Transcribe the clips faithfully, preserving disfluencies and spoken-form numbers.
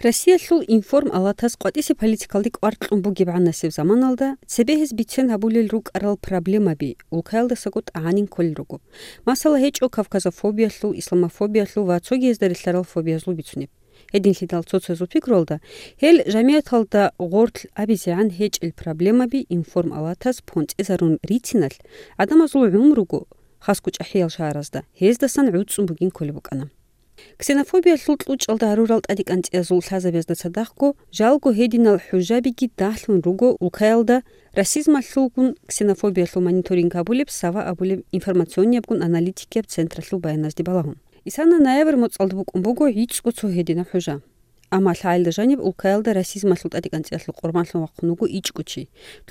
Россиялъул информ-алатас къватӀисе политикалде кӀвар кьун бугеб гӀанасеб заманалда цебе гьез бицен гьабулел рукӀарал проблемаби улкаялдасаго тӀагӀанин кколел руго. Масала, гьечӀо кавказофобиялъул, исламофобиялъул ва цогиязда релълъарал фобиязул бицунеб. Гьединлъидал цо-цоязул пикруялда, гьел жамигӀаталда гъорлъ абизегӀан гьечӀел проблемаби информ-алатас понцӀизарун рициналъ, гӀадамазул гӀумруго, хасго чӀахӀиял шагьаразда, гьездасан гӀуцӀун бугин кколеб букӀана. Ксенофобиялъул кьучӀалда гьарурал тӀадикӀанцӀиязул лъазабазда цадахъго, жалго гьединал хӀужабиги дагьлъун руго улкаялда расизмалъулгун ксенофобиялъул мониторинг гьабулеб Сава абулеб информационниябгун аналитикияб централъул баяназде балагьун. Исана ноябрь моцӀалда букӀун буго гӀицӀго цо гьединаб хӀужа. Амма лъагӀелда жаниб улкаялда расизмалъул тӀадикӀанцӀиялъул къурбанлъун вахъун вуго ичӀго чи,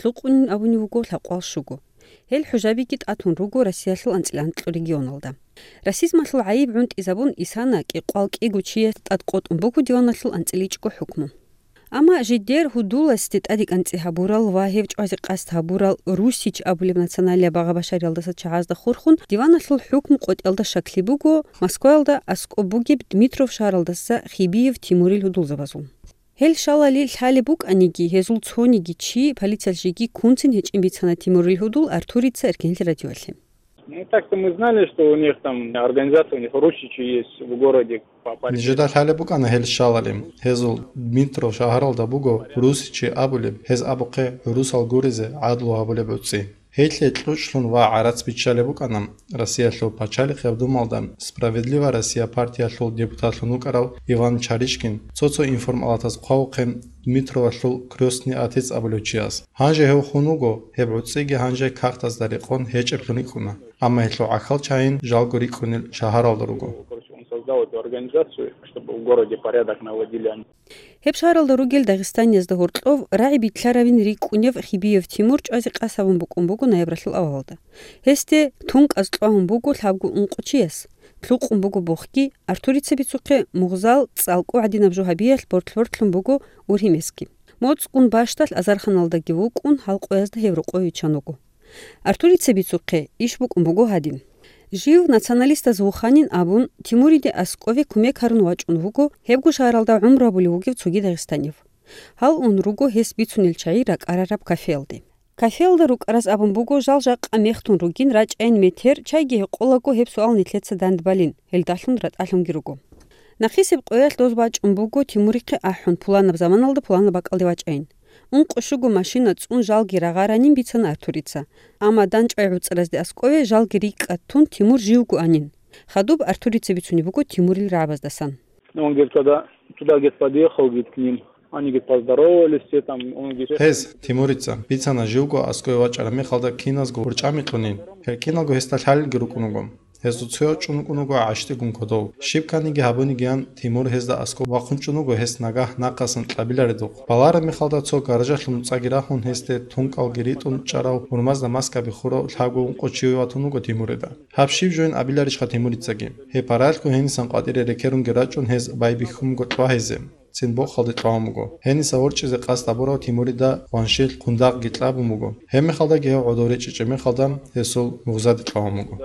лъукъунин абунев вуго лъабкъоялда щуго. Гьел хӀужабиги тӀатун руго Россиялъул анцӀила анкьго регионалда. Расизмалъул гӀайиб гӀунтӀизабун, Исана кӀикъоялда кӀиго чияс тӀадкъотӀун буго диваналъул анцӀила ичӀго хӀукму. Амма жидер гьудуласде тӀадикӀанцӀи гьабурал ва гьев чӀвазе къасд гьабурал Русич абулеб националияб багъа-башариялдаса чагӀазда хурхун, диваналъул хӀукму къотӀиялда щаклъи буго Москваялда аскӀоб бугеб Дмитров шагьаралдаса Хибиев Тимурил гьудулзабазул. Гьел щалали лъалеб букӀаниги, гьезул цониги чи полициялъ жеги ккунцин гьечӀин бицана Тимурил гьудул Артурица Эркенлъи радиоялъе. Ну, так-то мы знали, что у них там организация, у них Русичи есть в городе. Нижеда лъалеб букӀана гьел щалали. Гьезул Дмитров шагьаралда буго Русичи абулеб, гьез абухъе гӀурусал гуризе гӀадлу гьабулеб гӀуцӀи. Гьелъе кьучӀлъун ва гӀарац биччалеб букӀана Россиялъул пачалихъияб думалда «Справедливая Россия» партиялъул депутатлъун вукӀарав Иван Чаришкин, цо-цо информалатаз хъвавухъе Дмитровалъул крестный отец абулев чияс. Гьанже гьев хун вуго, гьеб гӀуцӀиги гьанже кагътазда рекъон гьечӀеблъун рикӀкӀуна, амма гьелъул гӀахьал чагӀи жалго рикӀкӀунел шагьаралда руго. Он создал эту организацию, чтобы в городе порядок наводили они. Гьеб шагьаралда ругел дагъистаниязда гьоркьов рагӀи билълъаравин рикӀкӀунев Хибиев Тимур чӀвазе къасд гьабун букӀун буго ноябралъул авалалда. Гьесде тункӀаз кьвагьун буго лъабго ункъо чияс, лъукъун буго бохги, Артурица бицухъе мугъзал цӀалкӀу гӀадинаб жо гьабиялъ бортлъ-бортлъун буго ургьимесги. МоцӀгун бащдалъ азарханалдаги вукӀун, гьалкъоязда гьев рокъове виччан вуго. Артурица бицухъе иш букӀун буго гьадин. Жив националистаз вуханин абун, Тимуриде аскӀове кумек гьарун вачӀун вуго, гьебго шагьаралда гӀумру гьабулев вугев цоги дагъистанив. Гьал ун руго гьес бицунел чагӀи ракӀарараб кафеялде. Кафеялда рукӀараз абун буго, жал жакъа мехтун ругин, рачӀайин метер, чайги гьекъолаго гьеб суал нилъеца дандбалин, гьелдалъун ратӀалъунги руго. Нахъисеб къоялъ доз бачӀун буго Тимурихъе ахӀун, пуланаб заманалда пуланаб бакӀалде вачӀайин. Ункъо-щуго машина цӀун жалги рагъаранин бицана Артурица. Амма дандчӀвай гӀуцӀразде аскӀове жалги рикӀкӀад тун Тимур живго анин. Хадуб Артурица бицунеб буго Тимурил рагӀабаздасан. Ну, он говорит, когда туда, говорит, подъехал, говорит, к ним, они, говорит, поздоровались, все там, он, говорит, Гьез, Тимурица, бицана живго аскӀове вачӀараб мехалда киназго урчӀами кьунин. Гьел киналго гьесда лъалелги рукӀун вуго. Гьезул цояв чӀун вукӀун вуго гӀащтӀигун кодов. Щиб кканиги гьабунигиян Тимур гьезда аскӀов вахъун чӀун вуго, гьес нагагь нахъасан кьабиларедухъ. Балараб мехалда цо гаражалъул нуцӀаги рахун, гьесде тункӀалги ритӀун чӀарав, гьурмазда маскаби хурав лъабго ункъо чи ватун вуго Тимурида. Гьаб щиб жоян абиларищха Тимурицаги? Гьеб паралъго гьенисан къватӀире рекерунги рачӀун гьез байбихьун буго кьвагьизе. Цин бохалде кьвагьун буго. Гьениса ворчӀизе къасд гьабурав Тимурида гъваншил хъундагъги кьабун буго. Гьеб мехалдаги гьев гӀодов речӀчӀичӀеб мехалда гьесул мугъзаде кьвагьун буго.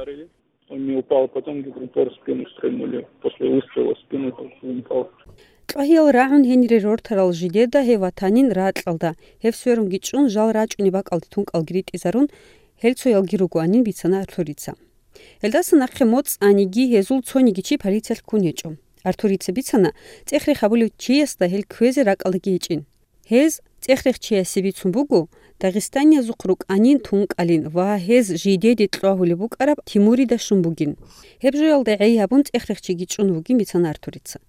Он не упал, потом, говорит, упор в спину стрельнули. После выстрела в спину он упал. Кьвагьиял рагӀун гьенире рортарал жидеда гьев ватанин ракьалда, гьев сверунги чӀун жал рачӀунеб бакӀалде тункӀалги ритӀизарун, гьел цоялги ругоанин бицана Артурица. Гьелдаса нахъе моцӀаниги гьезул цониги чи полициялъ ккун гьечӀо. Артурица бицана, цӀех-рех гьабулев чиясда гьел кквезе ракӀалдаги гьечӀин. Гьез цӀех-рех чиясе бицун буго, дагъистаниязухъ рукӀанин тункӀалин ва гьез жидеде кьвагьулеб букӀараб Тимурида щун бугин. Гьеб жоялда гӀей гьабун цӀех-рех чиги чӀун вугин бицана Артурица.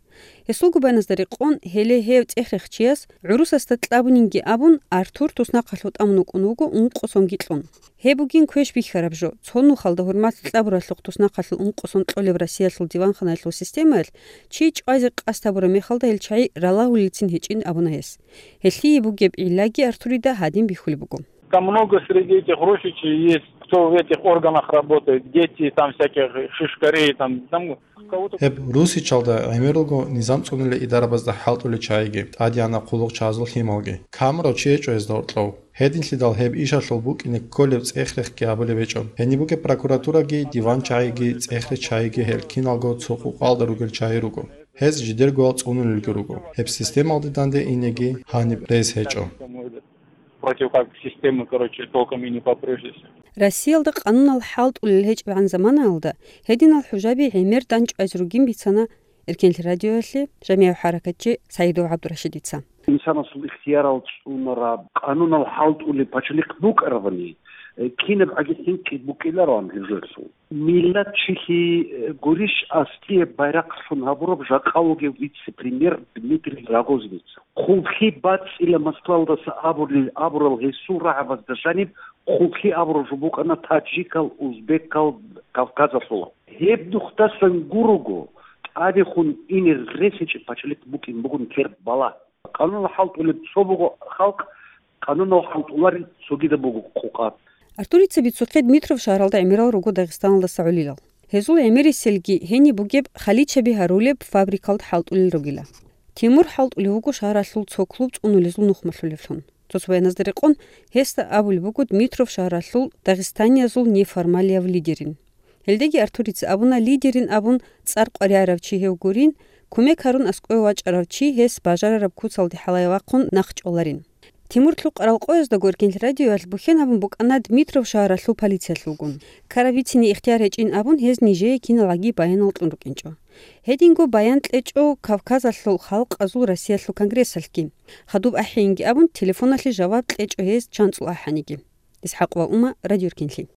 Гьесул губаназда рекъон, гьеле гьев цӀех-рех чияс, гӀурусасда кьабунинги абун, Артур туснахъалъув тӀамун вукӀун вуго ункъо сонги кьун. Гьеб бугин квеш бихьараб жо, цо нухалда гьурмалъи кьабуралъухъ туснахъалъул ункъо сон кьолеб Россиялъул диванханаялъул системаялъ чи чӀвазе къасд гьабураб мехалда гьел чагӀи ралагьулелцин гьечӀин абуна гьес. Гьелъие бугеб гӀиллаги Артурида гьадин бихьулеб буго. Там много среди этих русичей есть, кто в этих органах работает, дети там всяких шишкарей, там, там кого-то. Гьеб русичалда гӀемералго низам цӀунулел идарабазда хӀалтӀулел чагӀиги, тӀадегӀанаб хъулухъчагӀазул лъималги. Камурав чи гьечӀо гьезда гьоркьов. Гьединлъидал гьеб ишалъул букӀине кколеб цӀех-рехги гьабулеб гьечӀо. Гьениб бугеб прокуратураги, диван чагӀиги, цӀех-рех чагӀиги гьел киналго цо къукъалда ругел чагӀи руго. Гьез жидергоял цӀунулелги руго. Гьеб системалде данде инеги гьаниб рес гьечӀо. Против как системы, короче, толком и не попрёшься. Россиялда къанунал хӀалтӀулел гьечӀебгӀан заманаялда гьединал хӀужаби гӀемер данчӀвазе ругин бицана Эркенлъи радиоялъе жамигӀ хӀаракатчи Саидов ГӀабдурашидица. Инсанасул ихтиярал цӀунараб, къанунал хӀалтӀулеб пачалихъ букӀарабани, э, кинаб гӀаги хӀинкъи букӀилароан гьезулъул. Миллат чилъи, э, гурищ аскӀияб байрахълъун гьабураб жакъа вугев вице-премьер Дмитрий Рогозинец. Хъублъи бацӀцӀила Москвалдаса абули-, абурал гьесул рагӀабазда жаниб хъублъи абураб жо букӀана таджикал, узбекал, Кавказалъулал. Гьеб нухдасан гурого, тӀадехун ине рес гьечӀеб пачалихъ букӀин бугун кербала. Къанунал хӀалтӀулеб цо буго халкъ, къанунал хӀалтӀуларел цогидаб буго къукъа. Артурица бицухъе Дмитров шагьаралда гӀемерал руго Дагъистаналдаса гӀолилал. Гьезул гӀемериселги гьениб бугеб халичаби гьарулеб фабрикалда хӀалтӀулел ругила. Тимур хӀалтӀулев вуго шагьаралъул цо клуб цӀунулезул нухмалъулевлъун. Цо-цо баяназда рекъон, гьесда абулеб буго Дмитров шагьаралъул дагъистаниязул неформалияв лидерин. Гьелдеги Артурица абуна, лидерин абун цӀар къваригӀарав чи гьев гурин, кумек гьарун аскӀове вачӀарав чи гьес бажарараб куцалде хӀалае вахъун нахъчӀваларин. Тимур лъукъарал къояздаго Эркенлъи радиоялъ бухьен гьабун букӀана Дмитров шагьаралъул полициялъулгун. Ккараб бицине ихтияр гьечӀин абун гьез нижее киналгӀаги баянал кьун рукӀинчӀо. Гьединго баян кьечӀо Кавказалъул халкъазул Россиялъул конгрессалъги. Хадуб ахӀинги абун, телефоналъе жаваб кьечӀо гьез чанцӀул ахӀаниги. ИсхӀакъова Ума, Радио Эркенлъи.